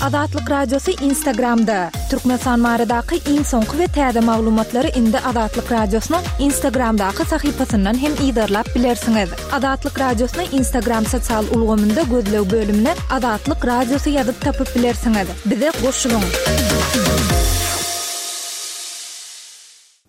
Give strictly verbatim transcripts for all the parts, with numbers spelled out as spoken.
Azatlyk Radiosy Instagramda. Türkmenistan baradaky iň soňky we täze maglumatlary indi Azatlyk Radiosynyň Instagramdaky sahypasyndan hem yzarlap bilersiňiz. Azatlyk Radiosyny Instagram sosial ulgamynda gözleg bölümine Azatlyk Radiosy ýazyp tapyp bilersiňiz. Bize goşulyň.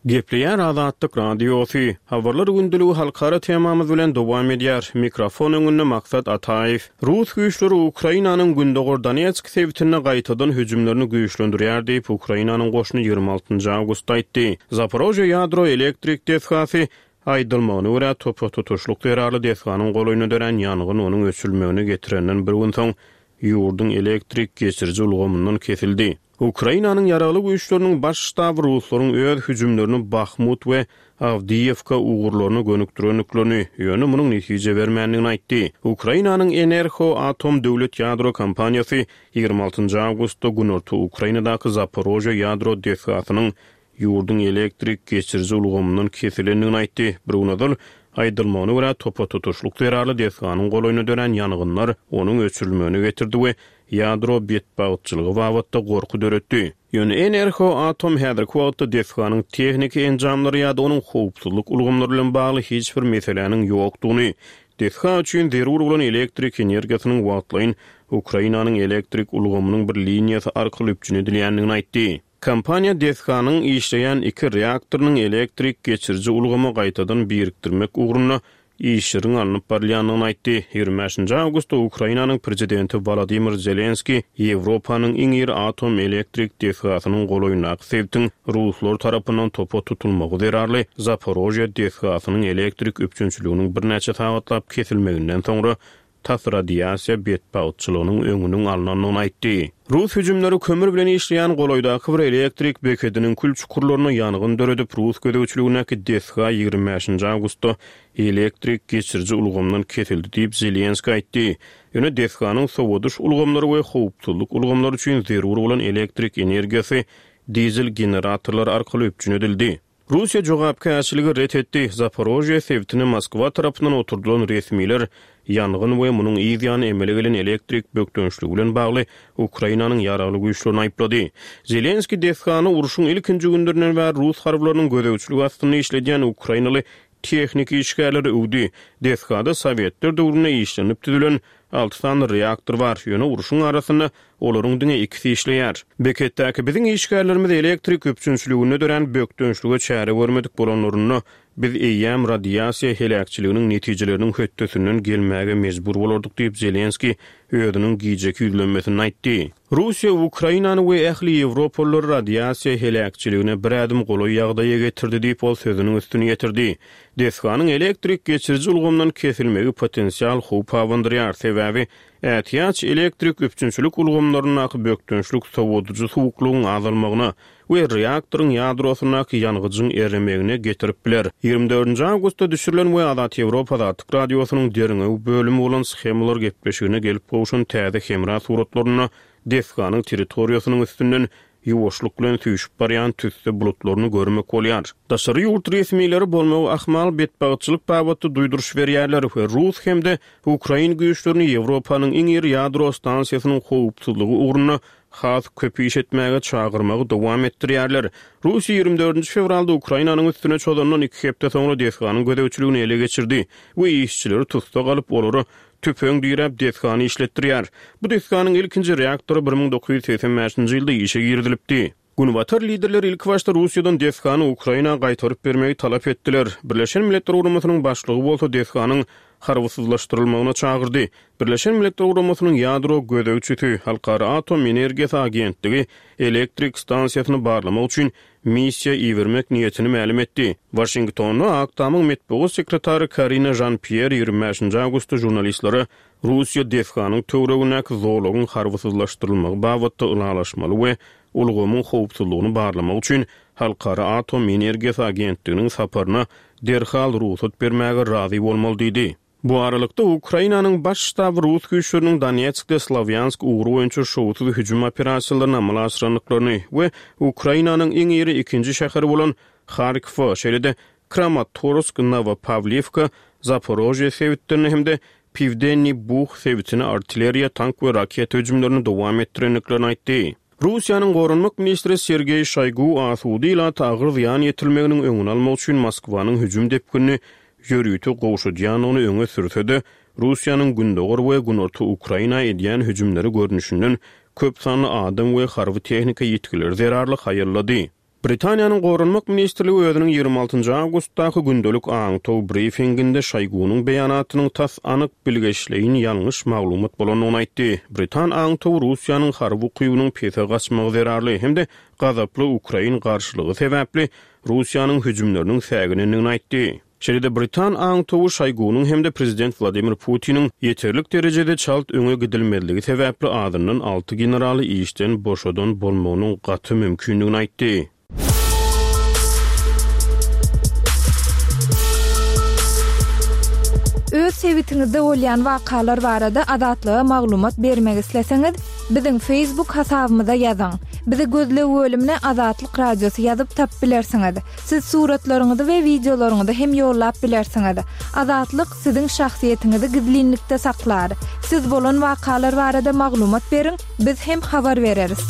Gepleýär Azatlyk Radiosy. Habarlar gündeligi halkara temamyz bilen dowam edýär. Mikrofon öňünde Maksat Ataýew. Rus güýçleri Ukrainanyň Gündogar Donetsk sebitinde gaýtadan hüjümlerini güýçlendirýär diýip, Ukrainanyň goşuny ýigrimi altynjy awgustda aýtdy. Zaporožýe ýadro elektrik desgasy aýdylmagyna görä, topa tutuşlyk zerarly desganyň golaýynda dörän ýangyn onuň öçürilmegine getirenden bir gün soň ýurduň elektrik geçiriji ulgamyndan kesildi. Ukrainanyň ýaragly güýçleriniň baş ştaby ruslaryň öz hüjümlerini Bahmut we Awdiýewka ugurlaryna gönükdirendiklerini, ýöne munuň netije bermändigini aýtdy. Ukrainanyň Enerhoatom döwlet ýadro kompaniýasy ýigrimi altynjy awgustda günorta Ukrainadaky Zaporožýe ýadro desgasynyň ýurduň elektrik geçiriji ulgamyndan kesilendigini aýtdy. Bir gün ozal aýdylmagyna görä, topa tutuşlyk zerarly desganyň golaýynda dörän ýangynlar onuň öçürilmegine getirdi we ýadro betbagtçylygy babatda gorky döretdi. Ýöne Enerhoatom häzirki wagtda desganyň tehniki enjamlary ýa-da onuň howpsuzlyk ulgamlary bilen bagly hiç bir meseläniň ýokdugyny, desga üçin zerur bolan elektrik energiýasynyň wagtlaýyn Ukrainanyň elektrik ulgamynyň bir liniýasy arkaly üpjün edilýändigini aýtdy. Kompaniýa desganyň işleýän iki reaktorynyň elektrik geçiriji ulgama gaýtadan birikdirmek ugrunda işleriň alnyp barylýandygyny aýtdy. Ýigrimi bäşinji awgustda Ukrainanyň prezidenti Wolodymyr Zelenskiý Ýewropanyň iň iri atom elektrik desgasynyň golaýyndaky sebitiň ruslar tarapyndan topa tutulmagy zerarly Zaporožýe desgasynyň elektrik üpjünçiliginiň birnäçe sagatlap kesilmeginden soňra tas radiasiýa betbagtçylygynyň öňüniň alnandygyny aýtdy. Rus hüjümleri kömür bilen işleýän golaýdaky bir elektrik bekediniň kül çukurlaryna ýangyn döredip, rus gözegçiligindäki desga ýigrimi bäşinji awgustda elektrik geçiriji ulgamdan kesildi diýip Zelenskiý aýtdy. Ýöne desganyň sowadyş ulgamlary we howpsuzlyk ulgamlary üçin zerur bolan elektrik energiýasy dizel generatorlary arkaly üpjün edildi. Russiýa jogapkärçiligi ret etdi. Zaporožýe sebitine Moskwa tarapyndan oturdylan resmiler ýangyn we munuň yz ýany emele gelen elektrik bökdençligi bilen bagly Ukrainanyň ýaragly güýçlerini aýyplady. Zelenskiý desgany urşuň ilkinji günlerinden bäri rus harbylarynyň gözegçiligi astynda işledýän ukrainaly tehniki işgärleri öwdi. Desgada Sowetler döwründe işlenip düzülen alty sany reaktor bar, ýöne urşuň arasynda olaryň diňe ikisi işleýär. Beketdäki biziň işgärlerimiz elektrik üpjünçiliginde dörän bökdençlige çäre görmedik bolanlarynda biz eýýäm radiasiýa heläkçiliginiň netijeleriniň hötdesinden gelmäge mejbur bolardyk diýip Zelenskiý özüniň gijeki ýüzlenmesinde aýtdy. Russiýa Ukrainany we ähli ýewropalylary radiasiýa heläkçiligine bir ädim golaý ýagdaýa getirdi diýip ol sözüniň üstüni ýetirdi. Desganyň elektrik geçiriji ulgamdan kesilmegi potensial howp abandyrýar, sebäbi ätiýaç elektrik üpjünçilik ulgamlaryndaky bökdençlik sowadyjy suwuklygyň azalmagyna we reaktoryň ýadrosyndaky ýangyjyň eremegine getirip biler. Ýigrimi dördünji awgustda düşürilen we Azat Ýewropa Azatlyk Radiosynyň derňew bölümi bolan shemalar gepleşigine gelip gowşan täze hemra suratlarynda desganyň territoriýasynyň üstünden ýuwaşlyk bilen süýşüp barýan tüsse bulutlaryny görmek bolýar. Daşary ýurt resmileri bolmagy ahmal betbagtçylyk babatda duýduryş berýärler we rus hem-de ukrain güýçlerini Ýewropanyň iň iri ýadro stansiýasynyň howpsuzlygy ugrunda has köp iş etmäge çagyrmagy dowam etdirýärler. Russiýa ýigrimi dördünji fewralda Ukrainanyň üstüne çozandan iki hepde soňra desganyň gözegçiligini ele geçirdi we işçileri tussag alyp, olara tüpeň diräp desgany işletdirýär. Bu desganyň ilkinji reaktory bir müň dokuz ýüz segsen bäşinji ýylda işe girizilipdi. Günbatar liderleri ilki başda Russiýadan desgany Ukraina gaýtaryp bermegi talap etdiler. Birleşen Milletler Guramasynyň başlygy bolsa desganyň harbysyzlaşdyrylmagyna çagyrdy. Birleşen Milletler Guramasynyň ýadro gözegçisi, Halkara atom energiýasy agentligi elektrik stansiýasyny barlamak üçin missiýa ibermek niýetini mälim etdi. Waşingtonda Ak Tamyň metbugat sekretary Karina Jean-Pierre ýigrimi bäşinji awgustda žurnalistlere Russiýa desganyň töweregindäki zolagyň harbysyzlaşdyrylmagy babatda ylalaşmaly we ulgamyň howpsuzlygyny barlamak üçin Halkara atom energiýasy agentliginiň saparyna derhal rugsat bermäge razy bolmaly diýdi. Bu aralykda Ukrainanyň baş ştaby rus güýçleriniň Donetskde Slawýansk ugry boýunça şowsuz hüjüm operasiýalaryny amala aşyrandyklaryny we Ukrainanyň iň iri ikinji şäheri bolan Harkowa, şeýle-de Kramatorsk, Nowopawliwka, Zaporožýe sebitlerine hem-de Pivdenny Buh sebitine artilleriýa, tank we raketa hüjümlerini dowam etdirendiklerini aýtdy. Russiýanyň Goranmak ministri Sergeý Şoýgu asuda ilata agyr zyýan ýetirilmeginiň öňüni almak üçin Moskwanyň hüjüm depginini ýörite gowşadýandygyny öňe sürse-de, Russiýanyň gündogar we günorta Ukraina edýän hüjümleri görnüşinden köp sanly adam we harby tehnika ýitgileri zerarly haýallady. Britaniýanyň Goranmak ministrligi özüniň ýigrimi altynjy awgustdaky gündelik aňtaw brifinginde Şoýgunyň beýanatynyň tas anyk bilgeşleýin ýalňyş maglumat bolandygyny aýtdy. Britan aňtawy Russiýanyň harby ukybynyň pese gaçmagy zerarly hem-de gazaply Ukrain garşylygy sebäpli Russiýanyň hüjümleriniň säginendigini aýtdy. Şeýle-de Britan aňtawy Şoýgunyň hem-de prezident Wladimir Putiniň ýeterlik derejede çalt öňe gidilmezligi sebäpli azyndan alty generaly işden boşadan bolmagynyň gaty mümkindigini aýtdy. Öz sebitiňizde bolýan wakalar barada Azatlyga maglumat bermek isleseňiz, biziň Facebook hasabymyza ýazyň. Bizi gözleg bölümine Azatlyk Radiosy ýazyp tap bilersiňiz. Siz suratlaryňyzy we wideolaryňyzy hem ýollap bilersiňiz. Azatlyk siziň şahsyýetiňizi gizlinlikde saklar. Siz bolan wakalar barada maglumat beriň, biz hem habar bereris.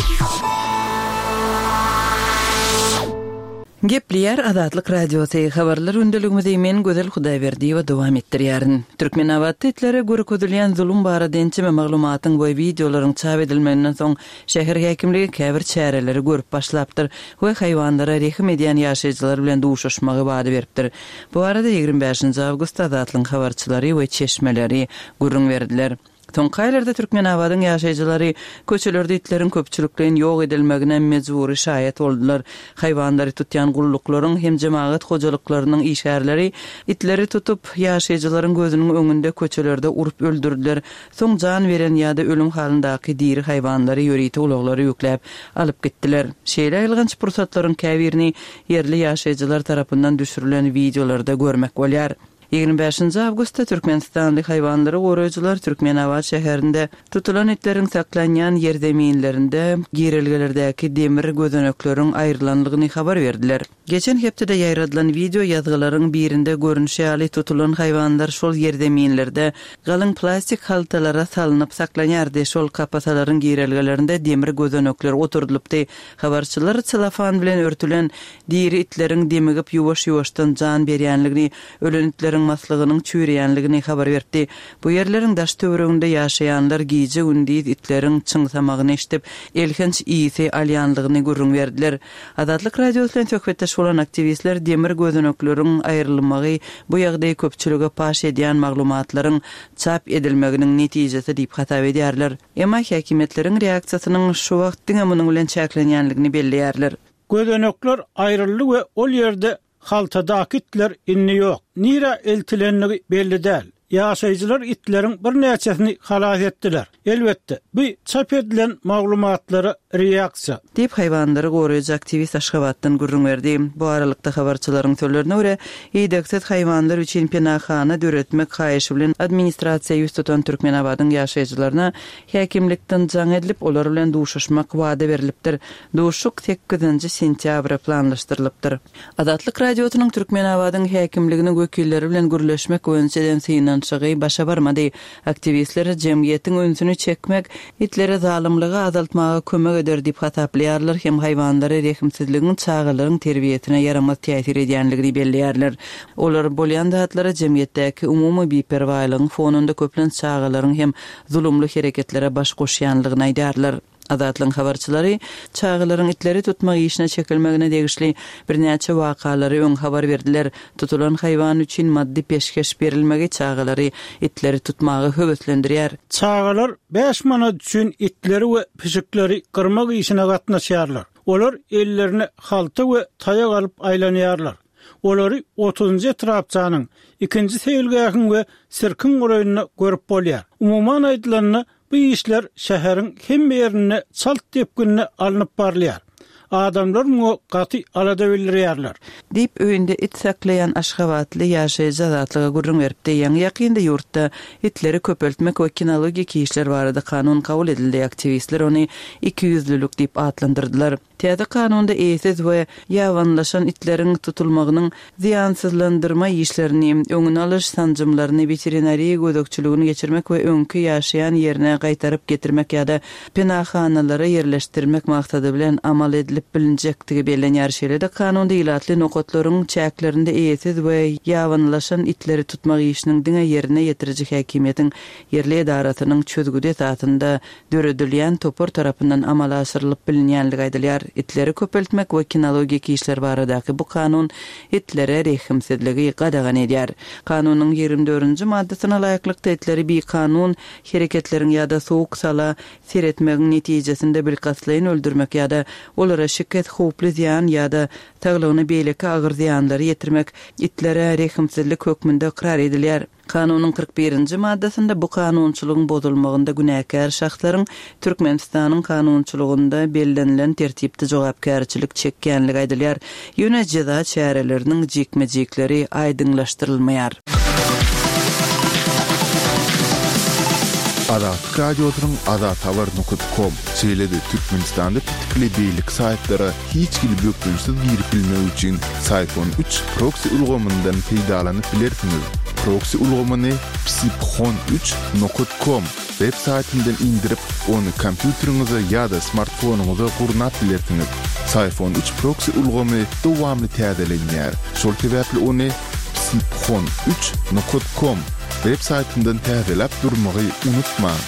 Gepleýär Azatlyk Radiosy habarlar gündeligimizi men Gözel Hudaýberdiýewa dowam etdirýärin. Türkmenabatda itlere görkezilýän zulum barada ençeme maglumatyň we wideolaryň çap edilmeginden soň şäher häkimligi käbir çäreleri görüp başlapdyr we haýwanlara rehim edýän ýaşaýjylar bilen duşuşmagy wada beripdir. Bu arada ýigrimi bäşinji awgustda Azatlygyň habarçylary we çeşmeleri gürrüň berdiler. Soňky aýlarda Türkmenabadyň ýaşaýjylary köçelerde itleriň köpçülikleýin ýok edilmegine mejbury şaýat boldular. Haýwanlary tutýan gulluklaryň hem jemagat hojalyklarynyň işgärleri itleri tutup, ýaşaýjylaryň gözüniň öňünde köçelerde urup öldürdüler. Soň jan beren ýa-da ölüm halyndaky diri haýwanlary ýörite ulaglary ýükläp alyp gitdiler. Şeýle aýylganç pursatlaryň käbirini ýerli ýaşaýjylar tarapyndan düşürilen wideolarda görmek bolýar. Ýigrimi bäşinji awgustda Türkmenistanly haýwanlary goraýjylar Türkmenabat şäherinde tutulan itleriň saklanýan ýerzeminlerinde girelgelerdäki demir gözenekleriň aýrylanlygyny habar berdiler. Geçen hepdede ýaýradylan video ýazgylaryň birinde görnüşi ýaly tutulan haýwanlar şol ýerzeminlerde galyň plastik haltalara salynyp saklanýardy. Şol kapasalaryň girelgelerinde demir gözenekler oturdylypdy. Habarçylar celofan bilen örtülen diri itleriň demigip ýuwaş-ýuwaşdan jan berýänligini, ölen itleriň maslygynyň çüýreýänligini habar berdi. Bu ýerleriň daş töwereginde ýaşaýanlar gije gündiz itleriň çyňsamagyny eşidip, elhenç ýygy alýanlygyny gürrüň berdiler. Azatlyk Radiosy bilen söhbetdeş bolan aktiwistler demir gözenekleriň aýrylmagy bu ýagdaýy köpçülige paş edýän maglumatlaryň çap edilmeginiň netijesi diýip hasap edýärler. Emma häkimiýetleriň reaksiýasynyň şu wagt diňe munuň bilen çäklenýänligini belleýärler. Gözenekler aýryldy we ol ýerde haltadaky itler indi ýok. Nira eltilenligi belli däl. Ýaşaýjylar itleriň birnäçesini halas etdiler. Elbetde, bu çap edilen maglumatlara reaksiýa. Diýip haýwanlary goraýjy aktiwist Aşgabatdan gürrüň berdi. Bu aralykda habarçylaryň sözlerine görä, idegsiz haýwanlar üçin penahana döretmek haýyşy bilen administrasiýa ýüz tutan Türkmenabadyň ýaşaýjylaryna häkimlikden jaň edilip, olar bilen duşuşmak wada berilipdir. Duşuşyk sekizinji sentýabra planlaşdyrylypdyr. Azatlyk Radiosynyň Türkmenabadyň häkimliginiň wekilleri bilen gürleşmek boýunça eden synanyşygy başa barmady. Aktiwistler jemgyýetiň ünsüni çekmek, itlere zalymlygy azaltmaga kömek eder diýip hasaplaýarlar, hem haýwanlara rehimsizligiň çagalaryň terbiýesine ýaramaz täsir edýänligini belleýärler. Olar bolýan zatlara jemgyýetdäki umumy biperwaýlygyň fonunda köplenç çagalaryň hem zulumly hereketlere baş goşýanlygyny aýdarlar. Azatlygyň habarçylary çagalaryň itleri tutmak işine çekilmegine degişli birnäçe wakalary öň habar berdiler. Tutulan haýwan üçin maddy peşgeş berilmegi çagalary itleri tutmaga höweslendirýär. Çagalar bäş manat üçin itleri we pişikleri gyrmak işine gatnaşýarlar. Olar ellerine halta we taýak alyp aýlanýarlar. Olary otuzynjy etrapçanyň ikinji seýilgähiň we sirkiň golaýynda görüp bolýar. Umuman aýdylanda, bu işler şäheriň hemme ýerinde çalt depginde alnyp barylýar. Adamlar muňa gaty alada bildirýärler. Diýip, öýünde it saklaýan aşgabatly ýaşaýjy Azatlyga gürrüň beripdi. Ýaňy-ýakynda ýurtda itleri köpeltmek we kinologik işler barada kanun kabul edildi. Aktiwistler ony ikiýüzlülik diýip atlandyrdylar. Täze kanunda eýesiz we ýabanylaşan itleriň tutulmagynyň zyýansyzlandyrma işlerini, öňüni alyş sanjymlaryny, weterinariýa gözegçiligini geçirmek we öňki ýaşaýan ýerine gaýtaryp getirmek ýa-da penahanalara ýerleşdirmek maksady bilen amal edilip bilinjekdigi bellenýär. Şeýle-de kanunda ilatly nokatlaryň çäklerinde eýesiz we ýabanylaşan itleri tutmak işiniň diňe ýerine ýetiriji häkimiýetiň ýerli edarasynyň çözgüdi esasynda döredilýän topar tarapyndan amala aşyrylyp bilinýänligi aýdylýar. Itleri köpeltmek we kinologik işler baradaky bu kanun itlere rehimsizligi gadagan edýär. Kanunyň ýigrimi dördünji maddasyna laýyklykda itleri bikanun hereketleriň ýa-da sowuk sala seretmegiň netijesinde bilkastlaýyn öldürmek ýa-da olara şikes, howply zyýan ýa-da saglygyna beýleki agyr zyýanlary ýetirmek itlere rehimsizlik hökmünde ykrar edilýär. Kanunyň kyrk birinji maddasynda bu kanunçylygyň bozulmagynda günäkär şahslaryň Türkmenistanyň kanunçylygynda bellenilen tertipde jogapkärçilik çekýänligi aýdylýar. Ýöne jeza çäreleriniň jikme-jikleri aýdyňlaşdyrylmaýar. Azatlyk Radiosynyň azathabar nokta com, şeýle-de Türkmenistanda petikli beýleki saýtlara hiç hili bökdençsiz girip bilmek üçin Syphon üç proksi ulgamyndan peýdalanyp bilersiňiz. Proksi ulgamyny psiphon üç nokta com web saýtyndan indirip, ony kompýuteriňize ýa-da smartfonyňyza gurnap bilersiňiz. Syphon üç proksi ulgamy dowamly täzelenýär. Şol sebäpli ony psiphon üç nokta com web saýtyndan täzeläp durmagy unutmaň.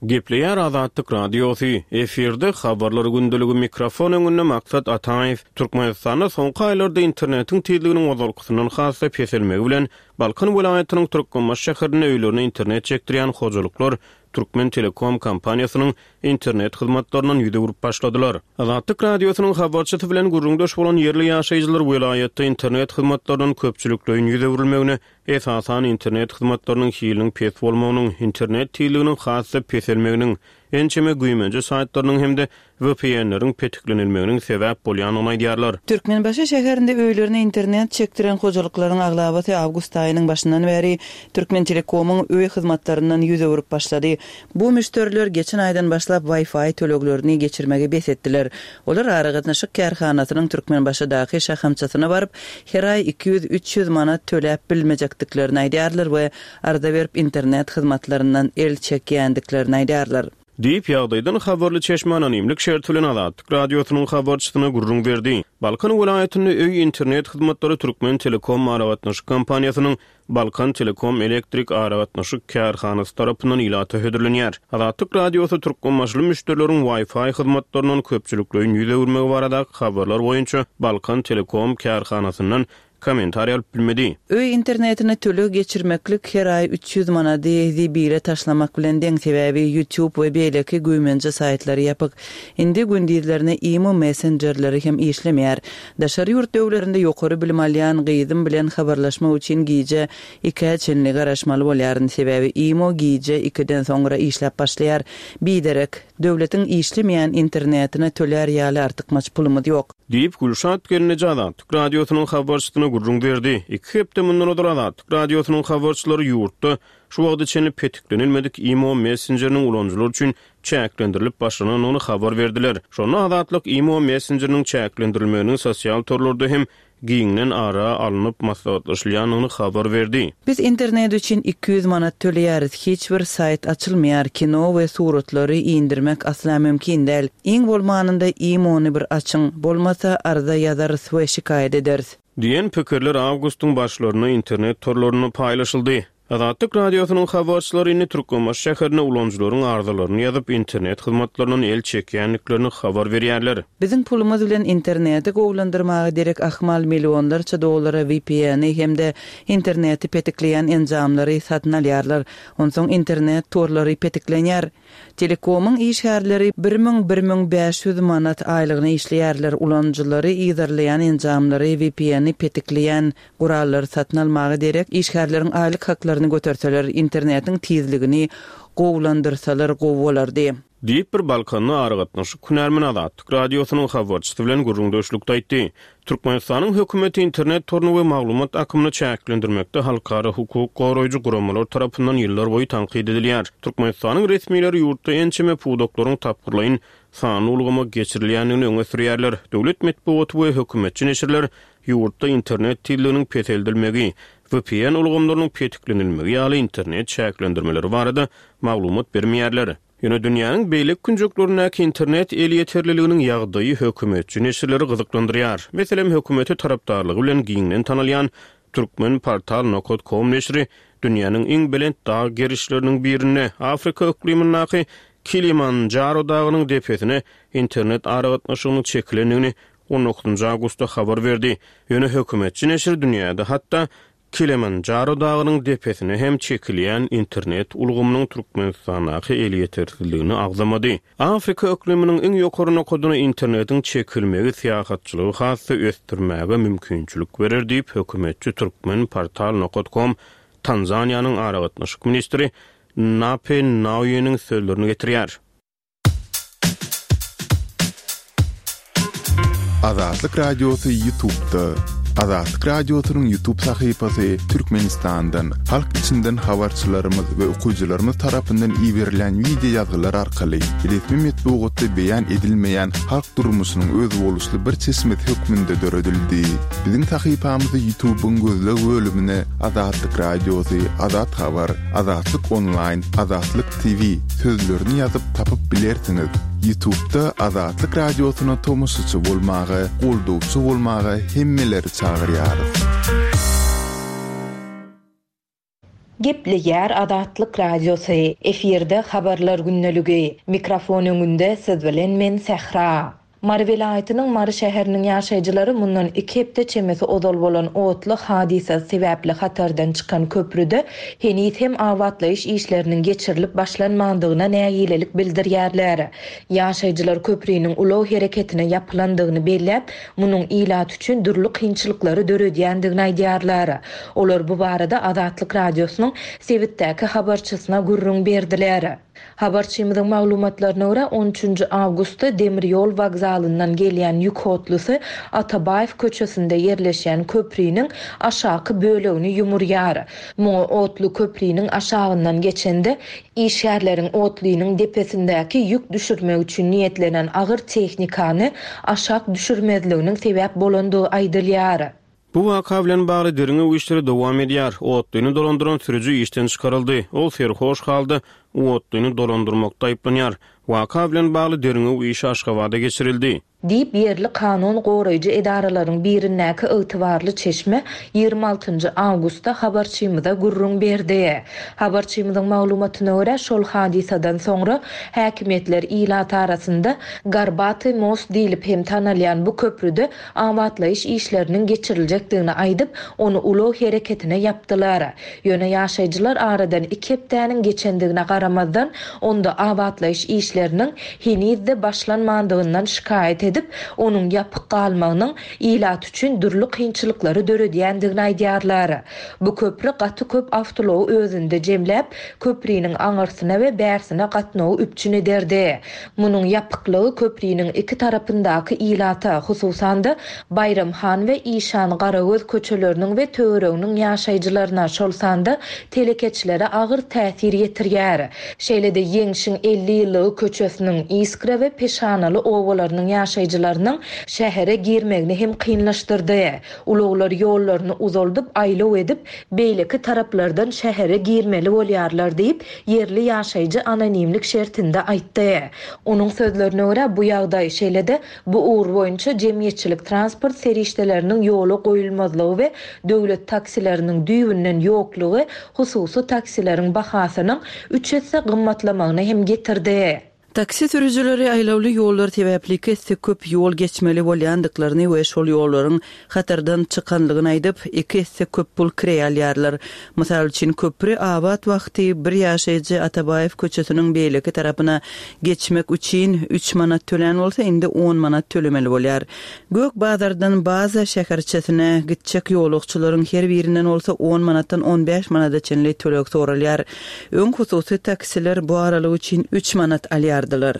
Gepleýär Azatlyk Radiosy, efirde habarlar gündeligi mikrofon öňünde Maksat Ataýew. Türkmenistanda soňky aýlarda internetiň tizliginiň ozalkysyndan has-da peselmegi bilen Balkan welaýatynyň Türkmenbaşy şäherinde öýlerine internet çekdirýän hojalyklar Türkmen Telekom kompaniýasynyň internet hyzmatlaryndan ýüz öwrüp başladylar. Azatlyk Radiosynyň habarçysy bilen gürrüňdeş bolan ýerli ýaşaýjylar welaýatda internet hyzmatlaryndan köpçülikleýin ýüz öwrülmegine, esasan internet hyzmatlarynyň hiliniň pes bolmagynyň, internet tizliginiň has-da peselmeginiň, ençeme güýmenje saýtlarynyň hem-de V P N-leriň petiklenilmeginiň sebäp bolýandygyny aýdýarlar. Türkmenbaşy şäherinde öýlerine internet çekdiren hojalyklaryň aglabasy awgust aýynyň başyndan bäri Türkmen Telekomyň öý hyzmatlaryndan ýüz öwrüp başlady. Bu müşderiler geçen aýdan başlap Wi-Fi töleglerini geçirmegi bes etdiler. Olar aragatnaşyk kärhanasynyň Türkmenbaşydaky şahamçasyna baryp, her aý iki ýüz üç ýüz manat töläp bilmejekdiklerini aýdýarlar we arza berip internet hyzmatlaryndan el çekýändiklerini aýdýarlar. Diýip, ýagdaýdan habarly çeşme anonimlik şerti bilen Azatlyk Radiosynyň habarçysyna gürrüň berdi. Balkan welaýatynda öý internet hyzmatlary Türkmen Telekom aragatnaşyk kompaniýasynyň Balkan Telekom elektrik aragatnaşyk kärhanasy tarapyndan ilata hödürlenýär. Azatlyk Radiosy türkmenbaşyly müşderileriň Wi-Fi hyzmatlaryndan köpçülikleýin ýüz öwürmegi baradaky habarlar boýunça Balkan Telekom kärhanasyndan kommentariý alyp bilmedi. Öý internetine töleg geçirmeklik her aý üç ýüz manady zibile taşlamak bilen deň, sebäbi YouTube we beýleki güýmenje saýtlary ýapyk. Indi gündizlerine imo messenjerleri hem işlemeýär. Daşary ýurt döwlerinde ýokary bilim alýan gyzym bilen habarlaşmak üçin gije ikä çenli garaşmaly bolýaryn, sebäbi imo gije ikiden soňra işläp başlaýar. Biderek, döwletiň işlemeýän internetine tölär ýaly artykmaç pulumyz ýok. Diýip, Gülşat gelneje Azatlyk Radiosynyň habarçysyna gürrüň berdi. Iki hepde mundan ozal Azatlyk Radiosynyň habarçylary ýurtda şu wagta çenli petiklenilmedik imo messenjeriniň ulanyjylary üçin çäklendirilip başlanandygyny habar berdiler. Şonda Azatlyk imo messenjeriniň çäklendirilmeginiň sosial torlarda hem giňden ara alnyp maslahatlaşylýandygyny habar berdi. Biz internet üçin iki ýüz manat töleýäris. Hiç bir saýt açylmaýar. Kino we suratlary indirmek asla mümkin däl. Iň bolmanynda imo-ny bir açyň. Bolmasa arza ýazarys we şikaýat ederis. Diýen pikirler awgustyň başlarynda internet torlarynda paýlaşyldy. Azatlyk Radiosynyň habarçylary indi Türkmenbaşy şäherinde ulanyjylaryň arzalaryny ýazyp internet hyzmatlaryndan el çekýändiklerini habar berýärler. Biziň pulumyz bilen interneti gowulandyrmaga derek ahmal millionlarça dollara V P N-i hem-de interneti petikleýän enjamlary satyn alýarlar. Onsoň internet torlary petiklenýär. Telekomyň işgärleri bir müň bir müň bäş ýüz manat aýlygyna işleýärler. Ulanyjylary yzarlaýan enjamlary V P N-i petikleýän gurallary satyn almaga derek işgärleriň aýlyk haklaryny göterseler, internetiň tizligini gowulandyrsalar gowy bolardy. Diýip bir Balkanly aragatnaşyk hünärmeni Azatlyk Radiosynyň habarçysy bilen gürrüňdeşlikde aýtdy. Türkmenistanyň hökümeti internet toruny we maglumat akymyny çäklendirmekde halkara hukuk goraýjy guramalar tarapyndan ýyllar boýy tankyt edilýär. Türkmenistanyň resmileri ýurtda ençeme pudaklaryň tapgyrlaýyn sanly ulgama geçirilýändigini öňe sürýärler. Döwlet metbugaty we hökümetçi neşirler ýurtda internet tizliginiň peseldilmegi, V P N ulgamlarynyň petiklenilmegi ýaly internet çäklendirmeleri barada maglumat bermeýärler. Ýöne dünýäniň beýleki künjeklerindäki internet elýeterliliginiň ýagdaýy hökümetçi neşirleri gyzyklandyrýar. Meselem, hökümete tarapdarlygy bilen giňden tanalýan Turkmenportal nokta com neşiri dünýäniň iň belent dag gerişleriniň birinde Afrika yklymyndaky Kilimanjaro dagynyň depesine internet aragatnaşygynyň çekilendigini on dokuzynjy awgustda habar berdi. Ýöne hökümetçi neşir dünýäde hatda Kilimanjaro dagynyň depesine hem çekilýän internet ulgamynyň Türkmenistandaky elýetersizligini agzamady. Afrika yklymynyň iň ýokary nokadyna internetiň çekilmegi syýahatçylygy has-da ösdürmäge mümkinçilik berer diýip hökümetçi Turkmenportal nokta com Tanzaniýanyň aragatnaşyk ministri Nape Nauyeniň sözlerini getirýär. Azatlyk Radiosy YouTube'da. Azatlyk Radiosynyň YouTube sahypasy Türkmenistandan, halk içinden habarçylarymyz we okyjylarymyz tarapyndan iberilen wideo ýazgylar arkaly resmi metbugatda beýan edilmeýän halk durmuşynyň özboluşly bir çeşmesi hökmünde döredildi. Biziň sahypamyzy YouTube'yň gözleg bölümine Azatlyk Radiosy, Azat Habar, Azatlyk Online, Azatlyk T V sözlerini ýazyp tapyp bilersiňiz. YouTube'da Azatlyk Radiosyna tomaşaçy bolmaga, goldawçy bolmaga hemmeleri çagyrýarys. Gepleýär Azatlyk Radiosy. Efirde habarlar gündeligi. Mikrofon öňünde siz bilen men Sähra. Mary welaýatynyň Mary şäheriniň ýaşaýjylary mundan iki hepde çemesi ozal bolan otly hadysasy sebäpli hatardan çykan köprüde heniz hem abatlaýyş işleriniň geçirilip başlanmandygyna nägilelik bildirýärler. Ýaşaýjylar köprüniň ulag hereketine ýapylandygyny belläp, munuň ilat üçin dürli kynçylyklary döredýändigini aýdýarlar. Olar bu barada Azatlyk Radiosynyň sebitdäki habarçysyna gürrüň berdiler. Habarçymyzyň maglumatlaryna görä on üçünji awgustda demir ýol wokzalyndan gelýän ýük otlusy Atabaýew köçesinde ýerleşýän köprüniň aşaky bölegini ýumurýar. Muňa otly köprüniň aşagyndan geçende işgärleriň otlynyň depesindäki ýük düşürmek üçin niýetlenen agyr tehnikany aşak düşürmezliginiň sebäp bolandygy aýdylýar. Bu waka bilen bagly derňew işleri dowam edýär. Otlyny dolandyran sürüji işden çykaryldy. Ol serhoş halda otlyny dolandyrmakda aýyplanýar. Waka bilen bagly derňew işi Aşgabada geçirildi. Diýip ýerli kanun goraýjy edaralaryň birindäki ygtybarly çeşme ýigrimi altynjy awgustda habarçymyza gürrüň berdi. Habarçymyzyň maglumatyna görä şol hadysadan soňra häkimiýetler ilat arasynda Garbaty most diýlip hem tanalýan bu köprüde abatlaýyş işleriniň geçiriljekdigini aýdyp, ony ulag hereketine ýapdylar. Ýöne ýaşaýjylar aradan iki hepdäniň geçendigine garamazdan, onda abatlaýyş işleriniň heniz-de başlanmandygyndan şikaýat edip, onuň ýapyk galmagynyň ilat üçin dürli kynçylyklary döredýändigini aýdýarlar. Bu köprü gaty köp awtoulagy özünde jemläp, köprüniň aňyrsyna we bärsine gatnawy üpjün ederdi. Munuň ýapyklygy köprüniň iki tarapyndaky ilata, hususan-da Baýramhan we Işan Garagöz köçeleriniň we töwereginiň ýaşaýjylaryna, şol sanda telekeçilere agyr täsir ýetirýär. Şeýle-de Ýeňşiň elli ýyllygy köçesiniň Iskra we Peşanaly obalarynyň ýaşaýjylarynyň şähere girmegini hem kynlaşdyrdy. Ulaglar ýollaryny uzaldyp, aýlaw edip, beýleki taraplardan şähere girmeli bolýarlar diýip, ýerli ýaşaýjy anonimlik şertinde aýtdy. Onuň sözlerine görä bu ýagdaý şeýle-de bu ugur boýunça jemgyýetçilik transport serişdeleriniň ýola goýulmazlygy we döwlet taksileriniň düýbünden ýoklugy hususy taksileriň bahasynyň üç esse gymmatlamagyna hem getirdi. Taksi sürüjileri aýlawly ýollar sebäpli iki esse köp ýol geçmeli bolýandyklaryny we şol ýollaryň hatardan çykanlygyny aýdyp, iki esse köp pul kireý alýarlar. Mysal üçin köprü abat wagty bir ýaşaýjy Atabaýew köçesiniň beýleki tarapyna geçmek üçin üç manat tölän bolsa, indi on manat tölemeli bolýar. Gök bazardan baza şäherçesine gitjek ýolagçylaryň her birinden bolsa on manatdan on bäş manada çenli töleg soralýar. Öň hususy taksiler bu aralyk üçin üç manat alýardylar. çykýardylar.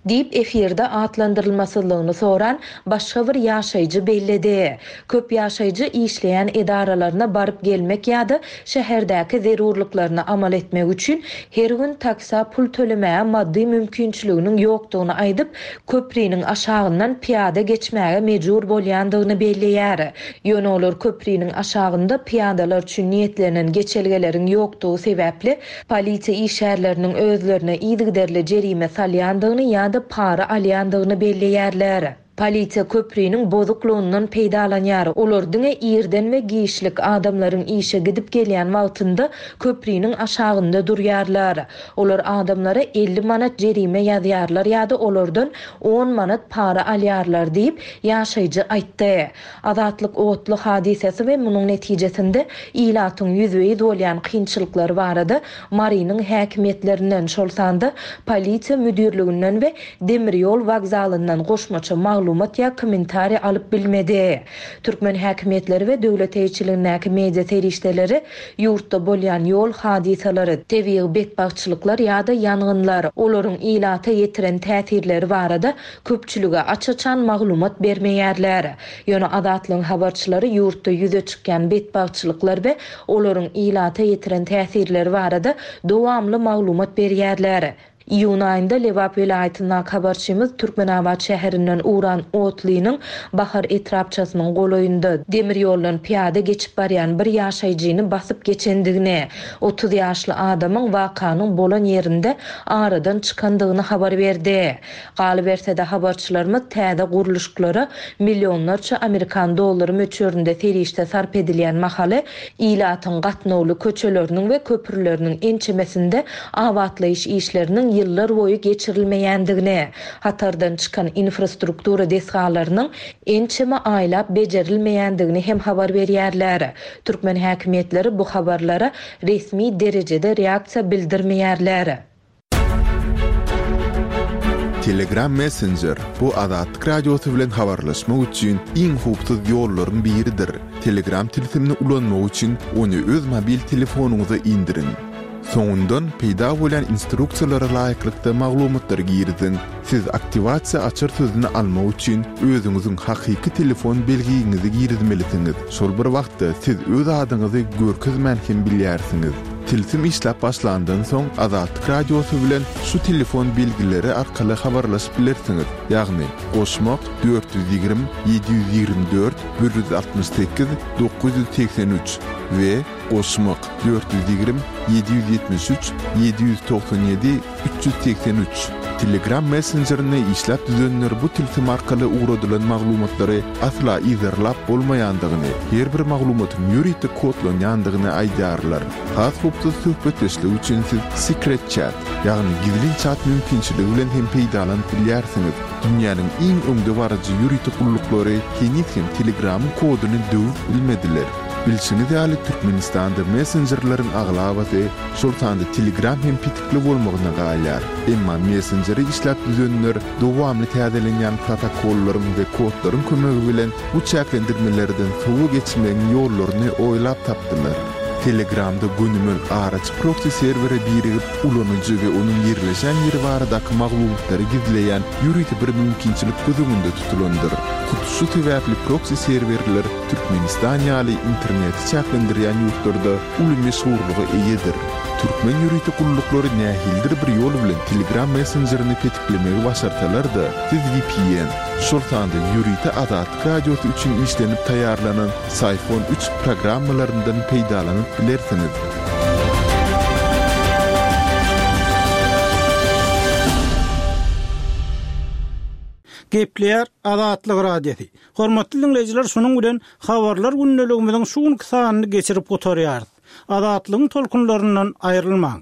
Diýip, efirde atlandyrylmasyzlygyny soran başga bir ýaşaýjy belledi. Köp ýaşaýjy işleýän edaralaryna baryp gelmek ýa-da şäherdäki zerurlyklaryny amal etmek üçin her gün taksä pul tölemäge maddy mümkinçiliginiň ýokdugyny aýdyp, köpriniň aşagyndan pyýada geçmäge mejbur bolýandygyny belleýär. Ýöne olar köpriniň aşagynda pyýadalar üçin niýetlenen geçelgeleriň ýokdugy sebäpli polisiýa işgärleriniň özlerine yzygiderli jerime salýandygyny ýa-da para alýandygyny belleýärler. Polisiýa köpriniň bozuklygyndan peýdalanýar. Olar diňe irden we giçlik, adamlaryň işe gidip gelýän wagtynda köpriniň aşagynda durýarlar. Olar adamlara elli manat jerime ýazýarlar ýa-da olardan on manat para alýarlar diýip, ýaşaýjy aýtdy. Azatlyk otly hadysasy we munuň netijesinde ilatyň ýüzbe-ýüz bolýan kynçylyklary barada Marynyň häkimiýetlerinden, şol sanda polisiýa müdirliginden we demir ýol wokzalyndan goşmaça maglumat ýa kommentariý alyp bilmedi. Türkmen häkimiýetleri we döwlet eýeçiligindäki media serişdeleri ýurtda bolýan ýol hadysalary, tebigy betbagtçylyklar ýa-da ýangynlar, olaryň ilata ýetiren täsirleri barada köpçülige aç-açan maglumat bermeýärler. Ýöne Azatlygyň habarçylary ýurtda ýüze çykýan betbagtçylyklar we olaryň ilata ýetiren täsirleri barada dowamly maglumat berýärler. Iýun aýynda Lebap welaýatyndaky habarçymyz Türkmenabat şäherinden ugran otlynyň Bahar etrapçasynyň golaýynda demir ýoldan pyýada geçip barýan bir ýaşaýjyny basyp geçendigini, otuz ýaşly adamyň wakanyň bolan ýerinde aradan çykandygyny habar berdi. Galyberse-de habarçylarymyz täze gurluşyklara millionlarça Amerikan dollary möçberinde serişde sarp edilýän mahaly ilatyň gatnawly köçeleriniň we köprüleriniň ençemesinde abatlaýyş işleriniň ýyllar boýy geçirilmeýändigini, hatardan çykan infrastruktura desgalarynyň ençeme aýlap bejerilmeýändigini hem habar berýärler. Türkmen häkimiýetleri bu habarlara resmi derejede reaksiýa bildirmeýärler. Telegram Messenger bu Azatlyk Radiosy bilen habarlaşmak üçin iň howpsuz ýollaryň biridir. Telegram tilsimini ulanmak üçin ony öz mobil telefonyňyza indiriň. Soňundan peýda bolan instruksiýalara laýyklykda maglumatlary giriziň. Siz aktiwasiýa açar sözüni almak üçin özüňiziň hakyky telefon belgiňizi girizmelisiňiz. Şol bir wagtda siz öz adyňyzy görkezmän hem bilýärsiňiz. Tilsim işläp başlandan soň Azatlyk Radiosy bilen şu telefon belgileri arkaly habarlaşyp bilersiňiz. Ýagny goşmak dört ýüz ýigrimi, ýedi ýüz ýigrimi dört, bir ýüz altmyş sekiz, dokuz ýüz segsen üç we goşmak dört ýüz ýigrimi, ýedi ýüz ýetmiş üç, ýedi ýüz togsan ýedi, üç ýüz segsen üç. Telegram messenjerini işläp düzenler bu tilsim arkaly ugradylan maglumatlary asla yzarlap bolmaýandygyny, her bir maglumatyň ýörite kodlanýandygyny aýdýarlar. Has howpsuz söhbetdeşlik üçin siz Secret Chat, ýagny gizlin chat mümkinçiligi bilen hem peýdalanyp bilýärsiňiz. Dünýäniň iň öňdebaryjy ýörite gulluklary heniz hem Telegramyň koduny döwüp bilmediler. Bilşiňiz ýaly Türkmenistanda messenjerleriň aglabasy, şol sanda Telegram hem petikli bolmagyna galýar. Emma messenjeri işläp düzenler dowamly täzelenýän protokollaryň we kodlaryň kömegi bilen bu çäklendirmelerden sowa geçmegiň ýollaryny oýlap tapdylar. Telegramda gönümel araçy proxy serwere birigip, ulanyjy we onuň ýerleşen ýeri baradaky maglumatlary gizleýän ýörite bir mümkinçilik göz öňünde tutulandyr. Hut şu sebäpli proxy serwerler Türkmenistan ýaly interneti çäklendirýän ýurtlarda uly meşhurlyga eýedir. Türkmen ýörite gulluklary nähilidir bir ýol bilen Telegram messenjerini petiklemegi başarsalar-da, siz V P N, şol sanda ýörite Azatlyk Radiosy üçin işlenip taýýarlanan Syphon üç programmalaryndan peýdalanyp bilersiňiz. Gepleýär Azatlyk Radiosy. Hormatly dinleýjiler, şunuň bilen habarlar gündeligimiziň şu günki sanyny geçirip gutarýarys. Azatlygyň tolkunlaryndan aýrylmaň.